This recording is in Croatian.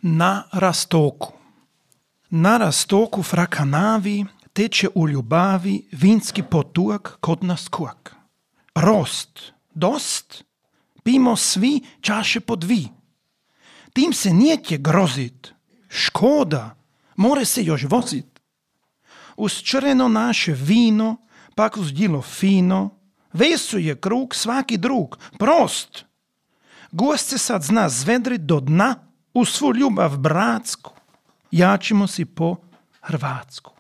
Na rastoku. Na rastoku frakanavi teče u ljubavi vinski potuak kod nas kuak. Rost, dost, pimo svi čaše po dvi. Tim se nijetje grozit, škoda, more se još vozit. Uz čreno naše vino, pak uz djelo fino, vesuje krug svaki drug, prost. Gost se sad zna zvedrit do dna, u svu ljubav bratsku, jačimo si po hrvatsku.